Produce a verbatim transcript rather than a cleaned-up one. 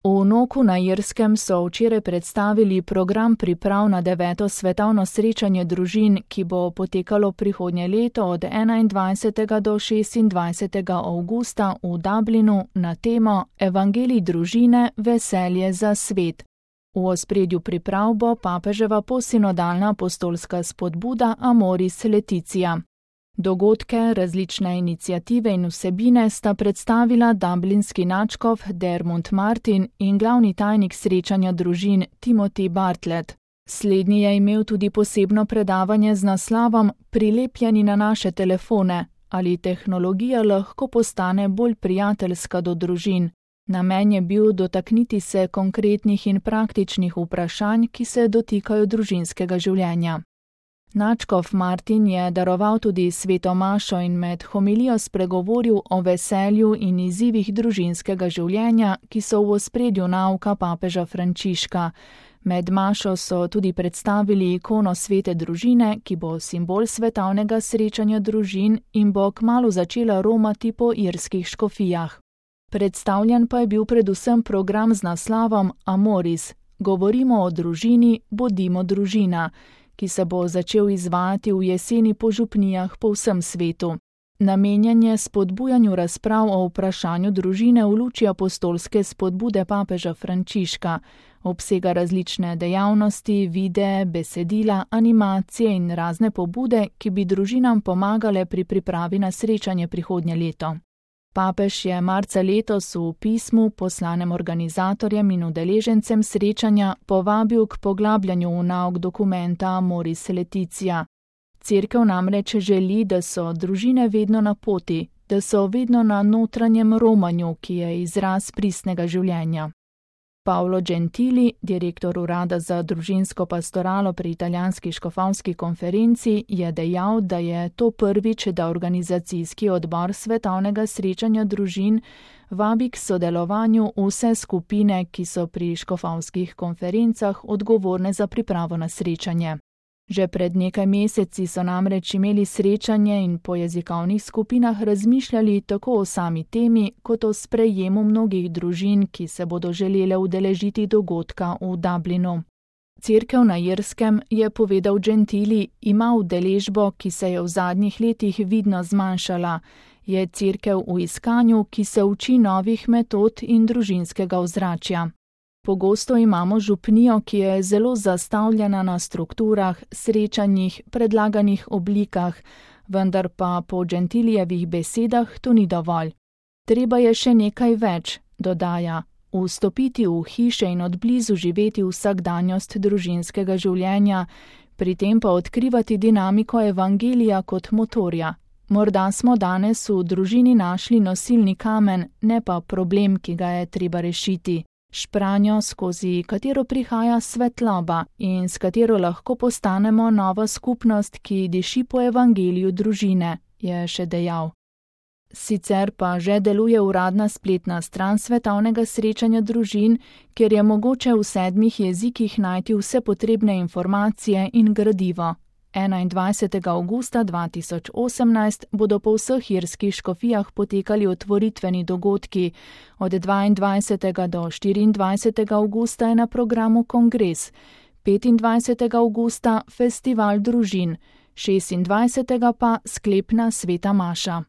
V Noku na Irskem so včeraj predstavili program priprav na deveto svetovno srečanje družin, ki bo potekalo prihodnje leto od enaindvajsetega do šestindvajsetega avgusta v Dublinu na temo Evangelij družine, veselje za svet. V ospredju priprav bo papeževa postsinodalna apostolska spodbuda Amoris Laetitia. Dogodke, različne iniciative in vsebine sta predstavila dublinski nadškof Dermot Martin in glavni tajnik srečanja družin Timothy Bartlett. Slednji je imel tudi posebno predavanje z naslovom Prilepljeni na naše telefone, ali tehnologija lahko postane bolj prijateljska do družin. Namen je bil dotakniti se konkretnih in praktičnih vprašanj, ki se dotikajo družinskega življenja. Nadškof Martin je daroval tudi sveto mašo in med homilijo spregovoril o veselju in izzivih družinskega življenja, ki so v ospredju nauka papeža Frančiška. Med mašo so tudi predstavili ikono svete družine, ki bo simbol svetovnega srečanja družin in bo kmalu začela romati po irskih škofijah. Predstavljen pa je bil predvsem program z naslovom Amoris, govorimo o družini, bodimo družina, ki se bo začel izvajati v jeseni po župnijah po vsem svetu. Namenjen je spodbujanju razprav o vprašanju družine v luči apostolske spodbude papeža Frančiška, obsega različne dejavnosti, videe, besedila, animacije in razne pobude, ki bi družinam pomagale pri pripravi na srečanje prihodnje leto. Papež je marca letos v pismu poslanem organizatorjem in udeležencem srečanja povabil k poglabljanju v nauk dokumenta Amoris Laetitia. Cerkev namreč želi, da so družine vedno na poti, da so vedno na notranjem romanju, ki je izraz pristnega življenja. Paolo Gentili, direktor urada za družinsko pastoralo pri italijanski škofovski konferenci, je dejal, da je to prvič, da organizacijski odbor svetovnega srečanja družin vabi k sodelovanju vse skupine, ki so pri škofovskih konferencah odgovorne za pripravo na srečanje. Že pred nekaj meseci so namreč imeli srečanje in po jezikovnih skupinah razmišljali tako o sami temi, kot o sprejemu mnogih družin, ki se bodo želele udeležiti dogodka v Dublinu. Cerkev na Irskem, je povedal Gentili, ima udeležbo, ki se je v zadnjih letih vidno zmanjšala. Je cerkev v iskanju, ki se uči novih metod in družinskega ozračja. Pogosto imamo župnijo, ki je zelo zastavljena na strukturah, srečanjih, predlaganih oblikah, vendar pa po Gentilijevih besedah to ni dovolj. Treba je še nekaj več, dodaja, vstopiti v hiše in odblizu živeti vsakdanjost družinskega življenja, pri tem pa odkrivati dinamiko evangelija kot motorja. Morda smo danes v družini našli nosilni kamen, ne pa problem, ki ga je treba rešiti. Špranjo, skozi katero prihaja svetloba in s katero lahko postanemo nova skupnost, ki diši po evangeliju družine, je še dejal. Sicer pa že deluje uradna spletna stran svetovnega srečanja družin, kjer je mogoče v sedmih jezikih najti vse potrebne informacije in gradivo. enaindvajsetega avgusta dva tisoč osemnajst bodo po vseh irskih škofijah potekali otvoritveni dogodki. Od dvaindvajsetega do štiriindvajsetega avgusta je na programu kongres, petindvajsetega avgusta festival družin, šestindvajsetega pa sklepna sveta maša.